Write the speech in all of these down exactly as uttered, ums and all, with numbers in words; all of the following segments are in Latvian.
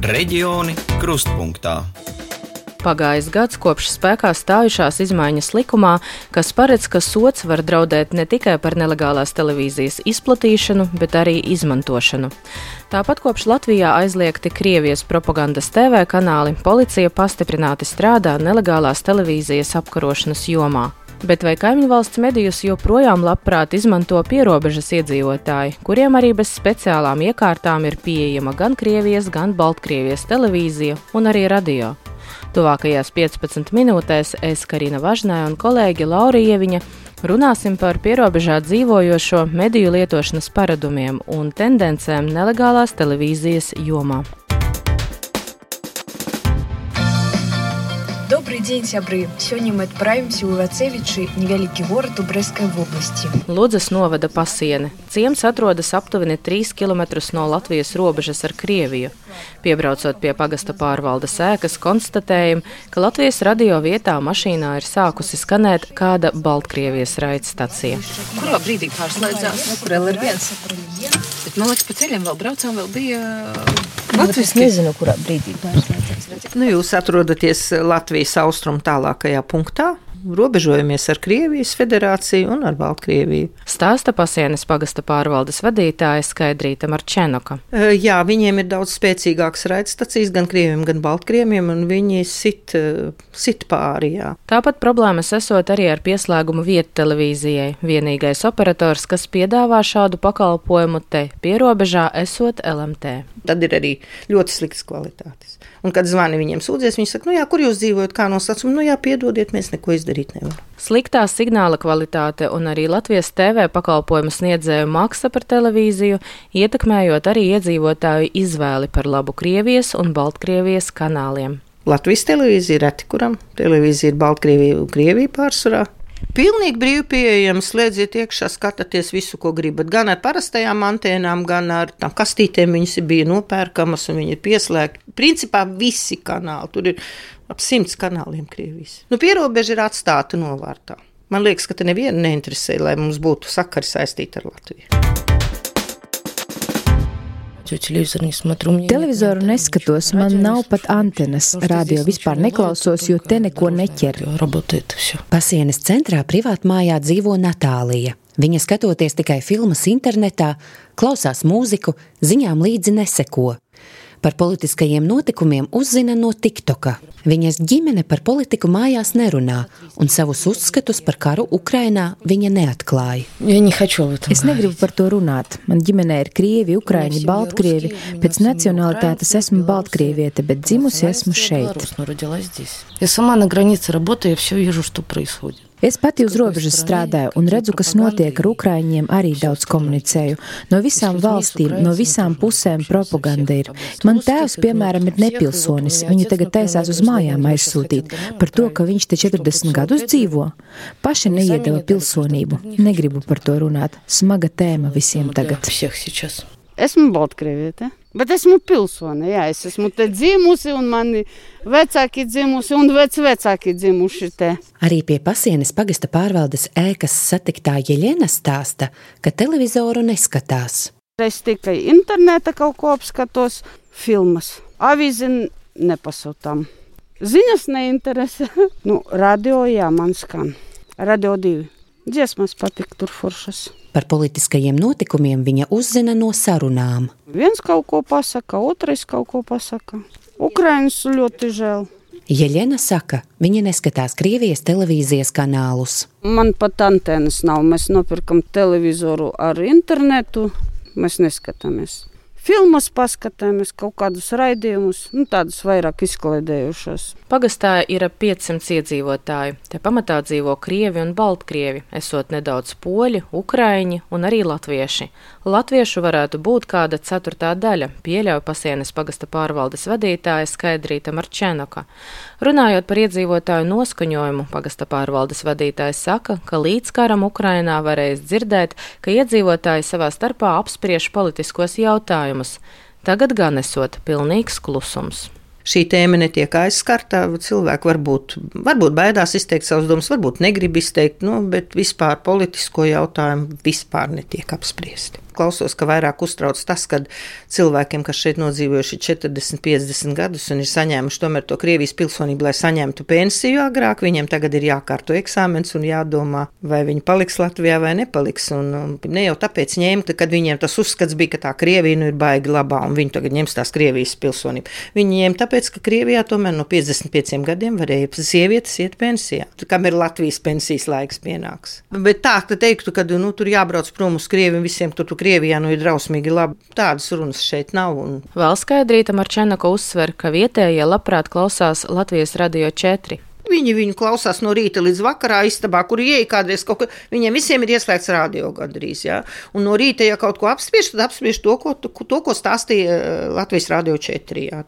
Reģioni krustpunktā. Pagājis gads kopš spēkā stājušās izmaiņas likumā, kas paredz, ka sods var draudēt ne tikai par nelegālās televīzijas izplatīšanu, bet arī izmantošanu. Tāpat kopš Latvijā aizliegti Krievijas propagandas T V kanāli, policija pastiprināti strādā nelegālās televīzijas apkarošanas jomā. Bet vai kaimiņvalsts medijus joprojām labprāt izmanto pierobežas iedzīvotāji, kuriem arī bez speciālām iekārtām ir pieejama gan Krievijas, gan Baltkrievijas televīzija un arī radio? Tuvākajās piecpadsmit minūtēs es, Karina Važnē un kolēģi Laura Ieviņa, runāsim par pierobežā dzīvojošo mediju lietošanas paradumiem un tendencēm nelegālās televīzijas jomā. Добрый день, сябры! Сегодня мы отправимся в Ивацевичи, невеликий город у Брестской области. Ludzas novada Pasiene. Ciems atrodas aptuveni trīs kilometrus no Latvijas robežas ar Krieviju. Piebraucot pie pagasta pārvaldes ēkas, konstatējam, ka Latvijas radio vietā mašīnā ir sākusi skanēt kāda Baltkrievijas raidstacija. Kurā brīdī pārslēdzās? Kur L R viens? Bet, man liekas, pa ceļiem vēl braucām, vēl bija Latvijas. Es nezinu, kurā brīdī pārslēdzās. Nu, jūs atrodaties Latvijas austrumu tālākajā punktā. Robežojamies ar Krievijas federāciju un ar Baltkrieviju. Stāsta Pasienes pagasta pārvaldes vadītāja Skaidrīta Marčenoka. Jā, viņiem ir daudz spēcīgākas raidstacijas gan Krieviem, gan Baltkrieviem, un viņi sit, sit pāri, jā. Tāpat problēmas esot arī ar pieslēgumu vietu televīzijai. Vienīgais operators, kas piedāvā šādu pakalpojumu te pierobežā, esot L M T. Tad ir arī ļoti sliktas kvalitātes. Un, kad zvani viņiem sūdzies, viņi saka, nu jā, kur jūs dzīvojat, kā nosacījumi, nu jā, piedodiet, mēs neko izdarīt nevaram. Sliktā signāla kvalitāte un arī Latvijas T V pakalpojumu sniedzēju maksa par televīziju, ietekmējot arī iedzīvotāju izvēli par labu Krievijas un Baltkrievijas kanāliem. Latvijas televīzija reti kuram, televīzija ir Baltkrievija un Krievija pārsvarā. Pilnīgi brīvi pieejami, slēdziet iekšā, skatāties visu, ko gribat. Gan ar parastajām antēnām, gan ar tām kastītēm viņas bija nopērkamas un viņi ir pieslēgti. Principā visi kanāli, tur ir ap simts kanāliem Krievijas. Nu, pierobeža ir atstāta novārtā. Man liekas, ka te nevienu neinteresē, lai mums būtu sakari saistīti ar Latviju. Televizoru neskatos, man nav pat antenas, radio vispār neklausos, jo te neko neķer. Pasienes centrā privātmājā dzīvo Natālija. Viņa skatoties tikai filmas internetā, klausās mūziku, ziņām līdzi neseko. Par politiskajiem notikumiem uzzina no TikToka. Viņas ģimene par politiku mājās nerunā, un savus uzskatus par karu Ukrainā viņa neatklāja. Es negribu par to runāt. Man ģimenē ir krievi, ukraiņi, baltkrievi. Pēc nacionalitātes esmu baltkrieviete, bet dzimusi esmu šeit. Es pati uz robežas strādāju un redzu, kas notiek ar ukraiņiem, arī daudz komunicēju. No visām valstīm, no visām pusēm propaganda ir. Man tēvs, piemēram, ir nepilsonis. Viņu tagad taisās uz mājām aizsūtīt par to, ka viņš te četrdesmit gadus dzīvo. Paši neiedeva pilsonību. Negribu par to runāt. Smaga tēma visiem tagad. Esmu Baltkrieviete, bet esmu pilsone, jā, es esmu te dzimusi un mani vecāki dzimusi un vecvecāki dzimuši te. Arī pie Pasienes pagasta pārvaldes ēkas satiktā Jeļena stāsta, ka televizoru neskatās. Es tikai interneta kaut ko apskatos, filmas, avīzi nepasūtām. Ziņas neinteresē. Nu, radio, jā, man skan. Radio divi. Dziesmas patīk tur foršas. Par politiskajiem notikumiem viņa uzzina no sarunām. Viens kaut ko pasaka, otrais kaut ko pasaka. Ukrainas ļoti žēl. Jeļena saka, viņa neskatās Krievijas televīzijas kanālus. Man pat antenas nav. Mēs nopirkam televizoru ar internetu. Mēs neskatāmies. Filmas paskatāmies, kaut kādus raidījumus, nu tādus vairāk izklaidējušos. Pagastā ir ap piecsimt iedzīvotāju. Te pamatā dzīvo krievi un baltkrievi, esot nedaudz poļi, ukraiņi un arī latvieši. Latviešu varētu būt kāda ceturtā daļa, pieļauj Pasienes pagasta pārvaldes vadītāja Skaidrīta Marčenoka. Runājot par iedzīvotāju noskaņojumu, pagasta pārvaldes vadītājs saka, ka līdz karam Ukrainā varēs dzirdēt, ka iedzīvotāji savā starpā apspriež politiskos jautājumus. Tagad gan esot pilnīgs klusums. Šī tēma netiek aizskarta, cilvēki varbūt, varbūt baidās izteikt savus domas, varbūt negrib izteikt, nu, bet vispār politisko jautājumu vispār netiek apspriesti. klausos, ka vairāk uztrauc tas, kad cilvēkiem, kas šeit nodzīvojuši četrdesmit, piecdesmit gadus un ir saņēmuši tomēr to Krievijas pilsonību, lai saņemtu pensiju agrāk, viņiem tagad ir jākārto eksāmens un jādomā, vai viņi paliks Latvijā vai nepaliks. Un, un ne jau tāpēc ņemt, kad viņiem tas uzskats bija, ka tā Krievija nu ir baigi labā un viņi tagad ņems tās Krievijas pilsonību. Viņi ņem tāpēc, ka Krievijā tomēr no piecdesmit pieciem gadiem varēja sievietes iet pensijā, kam ir Latvijas pensijas laiks pienāks. Bet tā, ka teiktu, ka nu, tur jābrauc prom uz Krieviju, visiem tur, tur Krievijā nu ir drausmīgi labi. Tādas runas šeit nav. Un... Vēl Skaidrīta Marčenko uzsver, ka vietējie labprāt klausās Latvijas Radio četri. Viņi viņu klausās no rīta līdz vakarā istabā, kur ieeja kādreiz kaut ko. Viņiem visiem ir ieslēgts radio gandrīz, jā. Un no rīta, ja kaut ko apspriež, tad apspriež to, ko, to, ko stāstīja Latvijas Radio četri, jā.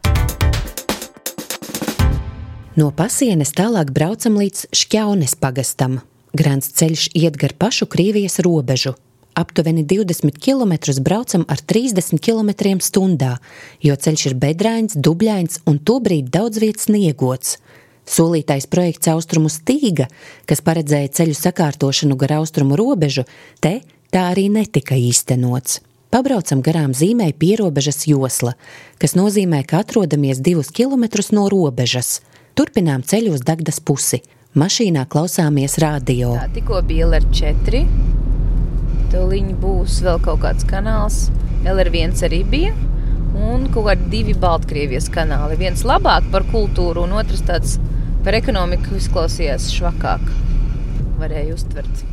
No Pasienes tālāk braucam līdz Šķaunes pagastam. Grants ceļš iet gar pašu Krievijas robežu. Aptuveni divdesmit kilometrus braucam ar trīsdesmit kilometriem stundā, jo ceļš ir bedrains, dubļains un tobrīd daudz vietas sniegots. Solītais projekts Austrumu stīga, kas paredzēja ceļu sakārtošanu gar austrumu robežu, te tā arī netika īstenots. Pabraucam garām zīmei pierobežas josla, kas nozīmē, ka atrodamies divus kilometrus no robežas. Turpinām ceļu uz Dagdas pusi. Mašīnā klausāmies radio. Tā, tikko bija L R četri, toliņ būs vēl kaut kāds kanāls. L R viens arī bija, un kaut kādi divi Baltkrievijas kanāli. Viens labāk par kultūru, un otrs tāds par ekonomiku izklausījās švakāk. Varēja uztvert.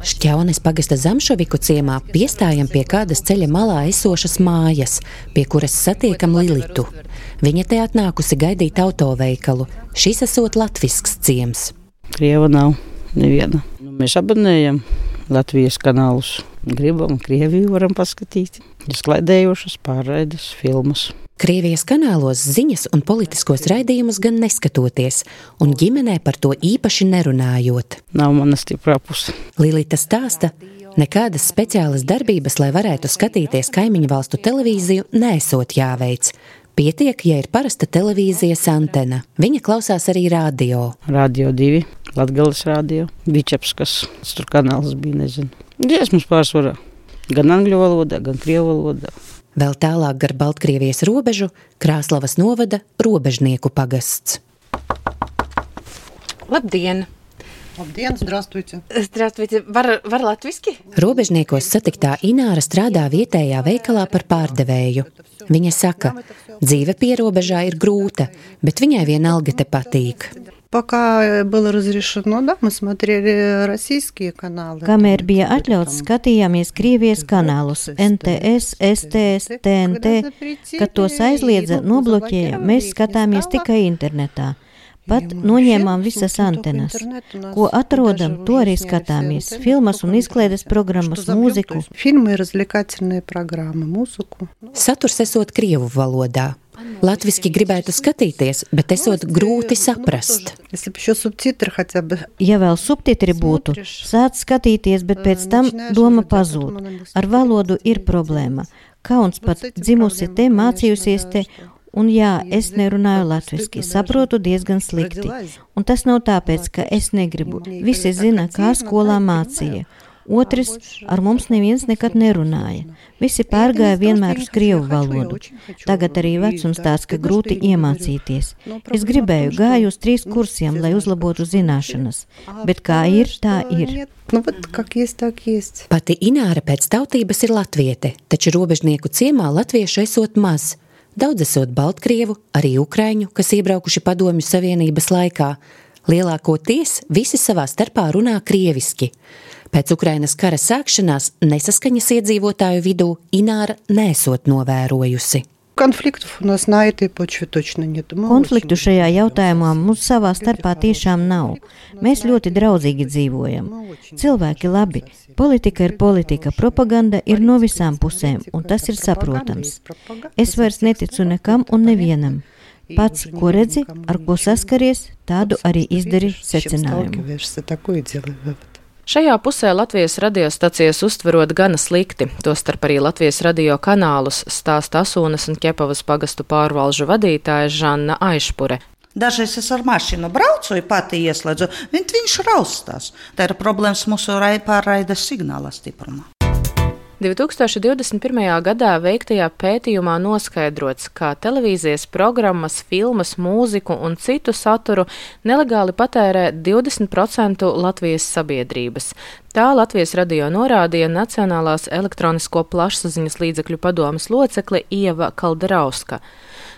Šķaunes pagasta Zamšoviku ciemā piestājam pie kādas ceļa malā esošas mājas, pie kuras satiekam Lilitu. Viņa te atnākusi gaidīt autoveikalu. Šis esot latvisks ciems. Krieva nav neviena. Nu, mēs abonējam Latvijas kanālus. Gribam, Krieviju varam paskatīt. Izklaidējošas pārraides filmas. Krievijas kanālos ziņas un politiskos raidījumus gan neskatoties, un ģimenē par to īpaši nerunājot. Nav mana stiprā puse. Lilita stāsta, nekādas speciālas darbības, lai varētu skatīties kaimiņu valstu televīziju, neesot jāveic. Pietiek, ja ir parasta televīzijas antena. Viņa klausās arī radio. Radio divi, Latgales radio, Vičepskas, tur kanāls bija, nezinu. Dziesmas pārsvarā, gan angļu valodā, gan krievu valodā. Vēl tālāk gar Baltkrievijas robežu Krāslavas novada Robežnieku pagasts. Labdien! Labdien, здравствуйте! Здравствуйте! Var, var latviski? Robežniekos satiktā Ināra strādā vietējā veikalā par pārdevēju. Viņa saka, dzīve pierobežā ir grūta, bet viņai vienalga te patīk. Пока было разрешено, да, мы смотрели российские каналы. Kamēr bija atļauts, skatījāmies Krievijas kanālus N T S, S T S, T N T, kad tos aizliedza, nobloķēja, mēs skatāmies tikai internetā. Pat noņēmām visas antenas. Ko atrodam, to arī skatāmies. Filmas un izklaides programmas, mūziku. Filmы, развлекательные программы, mūziku. Saturs esot krievu valodā. Latviski gribētu skatīties, bet esot grūti saprast. Ja vēl subtitri būtu, sāc skatīties, bet pēc tam doma pazūd. Ar valodu ir problēma. Kauns pat dzimusi te, mācījusies te, un jā, es nerunāju latviski, saprotu diezgan slikti. Un tas nav tāpēc, ka es negribu. Visi zina, kā skolā mācīja. Otrs, ar mums neviens nekad nerunāja. Visi pārgāja vienmēr uz krievu valodu. Tagad arī vecums tāds, ka grūti iemācīties. Es gribēju, gāju uz trīs kursiem, lai uzlabotu zināšanas. Bet kā ir, tā ir. Nu, bet, как есть, так есть. Pati Ināra pēc tautības ir latviete, taču robežnieku ciemā latviešu esot maz. Daudz esot baltkrievu, arī ukraiņu, kas iebraukuši Padomju Savienības laikā. Lielākoties visi savā starpā runā krieviski. Pēc Ukrainas kara sākšanās nesaskaņas iedzīvotāju vidū Ināra nesot novērojusi. Konfliktu šajā jautājumā mums savā starpā tiešām nav. Mēs ļoti draudzīgi dzīvojam. Cilvēki labi. Politika ir politika, propaganda ir no visām pusēm, un tas ir saprotams. Es vairs neticu nekam un nevienam. Pats, ko redzi, ar ko saskaries, tādu arī izdari secinājumu. Šajā pusē Latvijas radiostacijas uztverot gana slikti, tostarp arī Latvijas radio kanālus, stāsta Asūnas un Ķepavas pagastu pārvalžu vadītāja Žanna Aišpure. Dažreiz es ar mašīnu braucu, ja pati ieslēdzu, viņš raustās. Tā ir problēmas mūsu pārraides signāla stiprumā. divi tūkstoši divdesmit pirmajā gadā veiktajā pētījumā noskaidrots, ka televīzijas programmas, filmas, mūziku un citu saturu nelegāli patērē divdesmit procenti Latvijas sabiedrības. Tā Latvijas radio norādīja Nacionālās elektronisko plašsaziņas līdzekļu padomes locekle Ieva Kalderauska.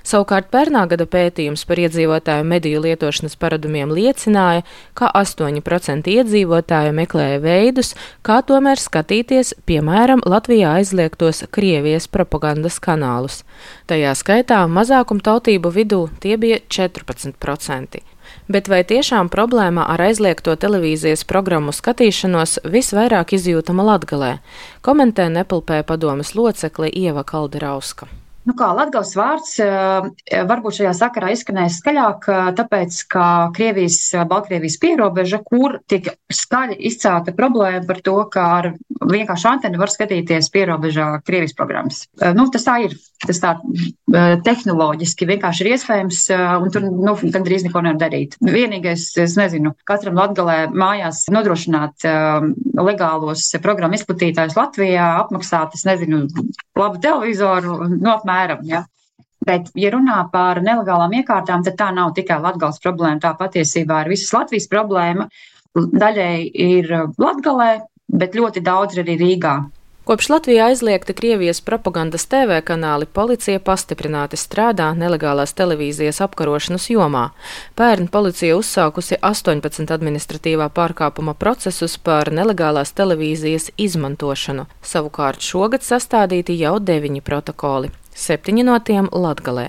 Savukārt pērnā gada pētījums par iedzīvotāju mediju lietošanas paradumiem liecināja, ka astoņi procenti iedzīvotāju meklēja veidus, kā tomēr skatīties, piemēram, Latvijā aizliegtos Krievijas propagandas kanālus. Tajā skaitā mazākumtautību vidū tie bija četrpadsmit procenti. Bet vai tiešām problēma ar aizliegto televīzijas programmu skatīšanos visvairāk izjūtama Latgalē? Komentē Nepilpē padomes locekle Ieva Kalderauska. Nu kā, Latgales vārds varbūt šajā sakarā izskanēs skaļāk, tāpēc, ka Krievijas, Baltkrievijas pierobeža, kur tiek skaļi izcelta problēma par to, ka ar vienkārši anteni var skatīties pierobežā Krievijas programmas. Nu, tas tā ir, tas tā tehnoloģiski vienkārši ir iespējams, un tur, nu, gandrīz neko nevar darīt. Vienīgais, es nezinu, katram Latgalē mājās nodrošināt legālos programmu izplatītājus Latvijā, apmaksāt, es nezinu, labu televizoru, no apmēram, ja. Bet, ja runā par nelegālām iekārtām, tad tā nav tikai Latgales problēma, tā patiesībā ir visas Latvijas problēma. Daļai ir Latgalē, bet ļoti daudz arī Rīgā. Kopš Latvijā aizliegta Krievijas propagandas T V kanāli, policija pastiprināti strādā nelegālās televīzijas apkarošanas jomā. Pērn policija uzsākusi astoņpadsmit administratīvā pārkāpuma procesus par nelegālās televīzijas izmantošanu. Savukārt šogad sastādīti jau deviņi protokoli, septiņi no tiem Latgalē.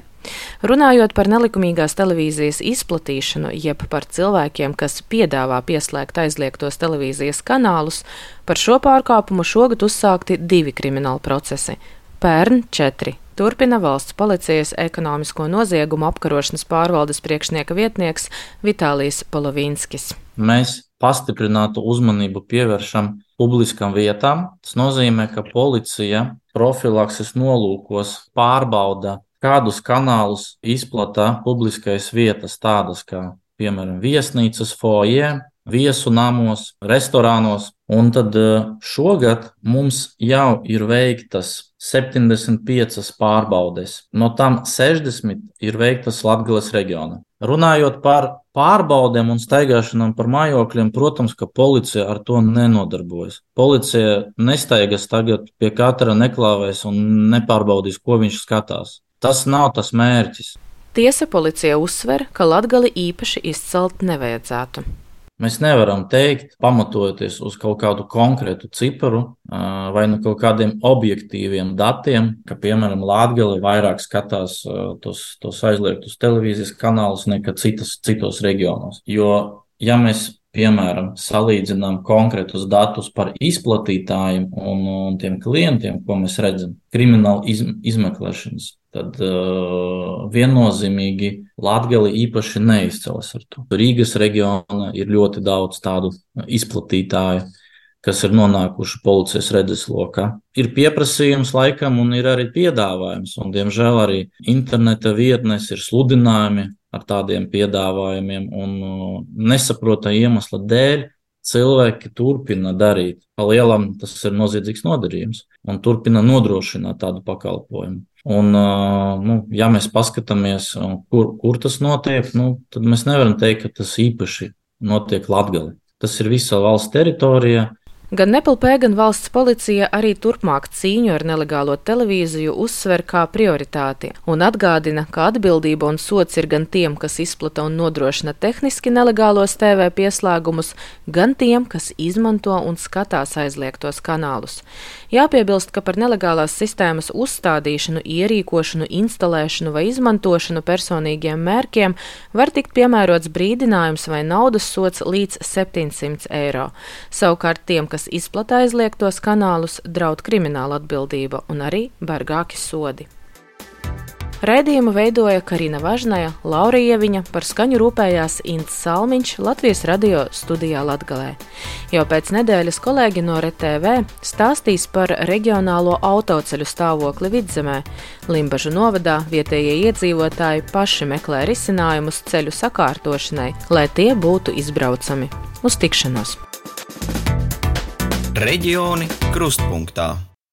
Runājot par nelikumīgās televīzijas izplatīšanu, jeb par cilvēkiem, kas piedāvā pieslēgt aizliegtos televīzijas kanālus, par šo pārkāpumu šogad uzsākti divi krimināli procesi. Pērn četri. Turpina valsts policijas ekonomisko noziegumu apkarošanas pārvaldes priekšnieka vietnieks Vitālijs Polovīnskis. Mēs pastiprinātu uzmanību pievēršam publiskām vietām. Tas nozīmē, ka policija profilakses nolūkos pārbauda, kādus kanālus izplata publiskais vietas, tādas kā, piemēram, viesnīcas foje, viesu namos, restorānos. Un tad šogad mums jau ir veiktas septiņdesmit piecas pārbaudes. No tām sešdesmit ir veiktas Latgales reģiona. Runājot par pārbaudēm un staigāšanām par mājokļiem, protams, ka policija ar to nenodarbojas. Policija nestaigas tagad pie katra neklāvēs un nepārbaudīs, ko viņš skatās. Tas nav tas mērķis. Tiesa policija uzsver, ka Latgali īpaši izcelt nevajadzētu. Mēs nevaram teikt, pamatojoties uz kaut kādu konkrētu ciparu vai no kaut kādiem objektīviem datiem, ka, piemēram, Latgali vairāk skatās tos, tos aizliegtus televīzijas kanālus nekā citas, citos reģionos. Jo, ja mēs, piemēram, salīdzinām konkrētus datus par izplatītājiem un, un tiem klientiem, ko mēs redzam, krimināla iz, izmeklēšanas, tad uh, viennozīmīgi Latgali īpaši neizcelas ar to. Rīgas reģiona ir ļoti daudz tādu izplatītāju, kas ir nonākuši policijas redzeslokā. Ir pieprasījums laikam un ir arī piedāvājums, un diemžēl arī interneta vietnes ir sludinājumi ar tādiem piedāvājumiem, un uh, nesaprota iemesla dēļ cilvēki turpina darīt. Pa lielam tas ir noziedzīgs nodarījums un turpina nodrošināt tādu pakalpojumu. Un, nu, ja mēs paskatāmies, kur, kur tas notiek, nu, tad mēs nevaram teikt, ka tas īpaši notiek Latgali. Tas ir visa valsts teritorijā. Gan Nepilpē, gan valsts policija arī turpmāk cīņu ar nelegālo televīziju uzsver kā prioritāti un atgādina, ka atbildība un sods ir gan tiem, kas izplata un nodrošina tehniski nelegālos T V pieslēgumus, gan tiem, kas izmanto un skatās aizliegtos kanālus. Jāpiebilst, ka par nelegālās sistēmas uzstādīšanu, ierīkošanu, instalēšanu vai izmantošanu personīgiem mērķiem var tikt piemērots brīdinājums vai naudas sods līdz septiņsimt eiro. Savukārt tiem, kas izplata aizliegtos kanālus, draud krimināla atbildība un arī bargāki sodi. Raidījumu veidoja Karina Važnaja, Laura Ieviņa, par skaņu rūpējās Ints Salmiņš, Latvijas radio studijā Latgalē. Jau pēc nedēļas kolēģi no R T V stāstīs par reģionālo autoceļu stāvokli Vidzemē. Limbažu novadā vietējie iedzīvotāji paši meklē risinājumus ceļu sakārtošanai, lai tie būtu izbraucami. Uz tikšanos! Reģioni krustpunktā.